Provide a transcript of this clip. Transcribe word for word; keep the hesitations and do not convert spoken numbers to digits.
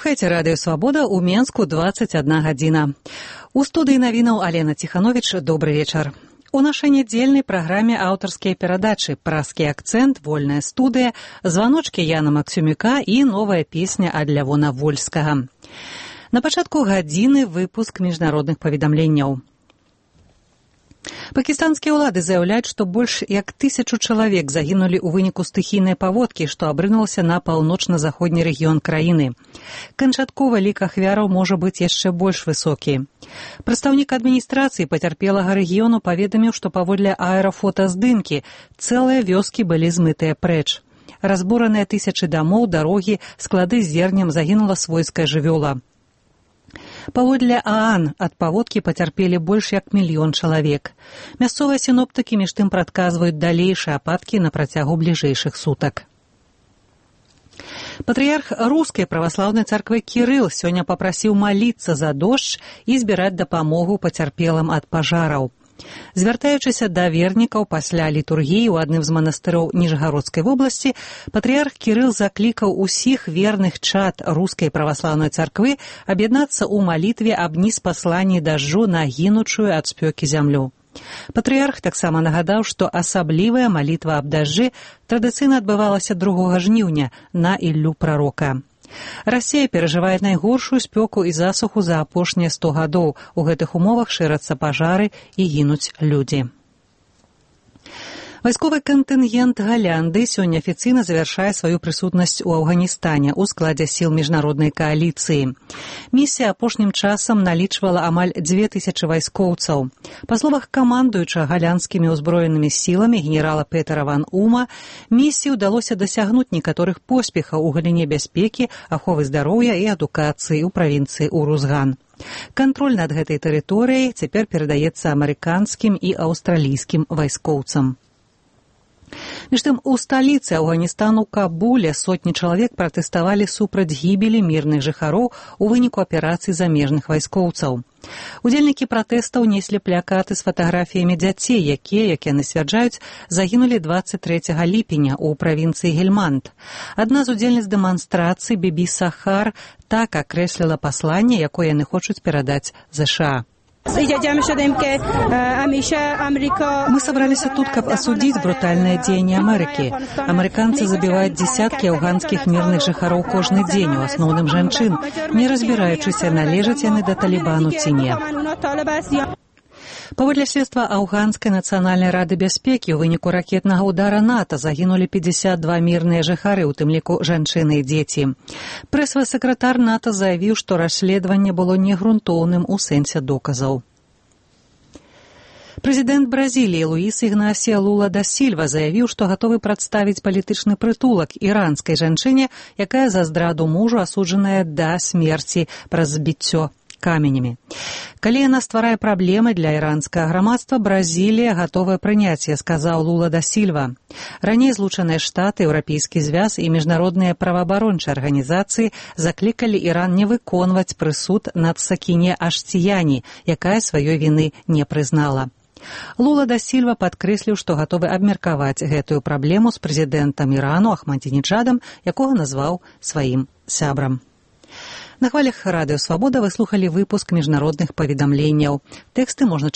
Слухайте радыё «Свабода» ў Менску дваццаць адна гадзіна. У студыі навінаў Алена Ціхановіч. Добры вечар. У нашай нядзельнай праграме аўтарскія перадачы «Праскі акцэнт», «Вольная студыя», «Званочкі» Яна Максюмюка і новая песня ад Лявона Вольскага. На пачатку гадзіны выпуск міжнародных паведамленняў. Пакістанскія ўлады заяўляюць, што больш як тысячу чалавек загінулі ў выніку стыхійнай паводкі, што абрынулася на паўночна-заходні рэгіён краіны. Канчатковы лік ахвяраў можа быць яшчэ больш высокі. Прадстаўнік адміністрацыі пацярпелага рэгіёну паведаміў, што паводле аэрафотаздымкі цэлыя вёскі былі змытыя прэч. Разбураныя тысячы дамоў, дарогі, склады з зернем, загінула свойская жывёла. Паводле ААН ад паводкі пацярпелі больш як мільён чалавек. Мясцовыя сіноптыкі між тым прадказваюць далейшыя ападкі на працягу бліжэйшых сутак. Патрыярх рускай праваслаўнай царквы Кірыл сёння папрасіў маліцца за дождж і збіраць дапамогу пацярпелым ад пажараў. Звяртаючыся да вернікаў пасля літургіі ў адным з манастыроў Ніжгародскай вобласці, патрыярх Кірыл заклікаў усіх верных чад рускай праваслаўнай царквы аб'яднацца ў малітве аб ніспасланні дажджу на гінучую ад спёкі зямлю. Патрыярх таксама нагадаў, што асаблівая малітва аб дажджы традыцыйна адбывалася другога жніўня на Іллю прарока. Расія перажывае найгоршую спёку і засуху за апошнія сто гадоў. У гэтых умовах шырацца пажары і гінуць людзі. Вайсковы кантынгент Галянды сёння афіцыйна завяршае сваю прысутнасць у Афганістане ў складзе сіл міжнароднай кааліцыі. Місія апошнім часам налічвала амаль дзве тысячы вайскоўцаў. Па словах камандуючага галянскімі ўзброенымі сіламі генерала Петера ван Ума, місіі ўдалося дасягнуць некаторых поспехаў у галіне бяспекі, аховы здароўя і адукацыі ў правінцыі Урузган. Кантроль над гэтай тэрыторыяй цяпер перадаецца амерыканскім і аўстралійскім вайскоўцам. Між тым, у сталіцы Афганістану Кабуле сотні чалавек пратэставалі супраць гібелі мірных жыхароў у выніку аперацый замежных вайскоўцаў. Удзельнікі пратэстаў неслі плакаты з фатаграфіямі дзяцей, якія, як яны сцвярджаюць, загінулі дваццаць трэцяга ліпеня ў правінцыі Гельманд. Адна з удзельніц дэманстрацыі, Бібі Сахар, так акрэсліла пасланне, якое яны хочуць перадаць ЗША. Мы собрались тут, каб осудить брутальное дзеянне Америки. Американцы забивают десятки афганских мирных жыхароў кожны дзень, у асноўным жанчын, не разбираючыся, належаць яны да Талібану ці не. Паводле следства Афганскай нацыянальнай рады бяспекі ў выніку ракетнага ўдара НАТО загінулі пятьдесят два мірныя жыхары, у тым ліку жанчыны і дзеці. Прэсавы сакратар НАТО заявіў, што расследаванне было негрунтоўным у сэнсе доказаў. Прэзідэнт Бразіліі Луіс Ігнасія Лула да Сільва заявіў, што гатовы прадставіць палітычны прытулак іранскай жанчыне, якая за здраду мужу асуджаная да смерці праз збіццё каменямі. Калі яна стварае праблемы для іранскага грамадства, Бразілія гатовая прыняць, сказаў Лула да Сільва. Раней Злучаныя Штаты, Еўрапейскі звяз і міжнародныя праваабарончыя арганізацыі заклікалі Іран не выконваць прысуд над Сакіне Аштіяні, якая сваёй віны не прызнала. Лула да Сільва падкрэсліў, што гатовы абмеркаваць гэтую праблему з прэзідэнтам Ірану Ахмадзінеджадам, якога назваў сваім сябрам. На хвалях радыё «Свабода» вы слухалі выпуск міжнародных паведамленняў. Тэксты можна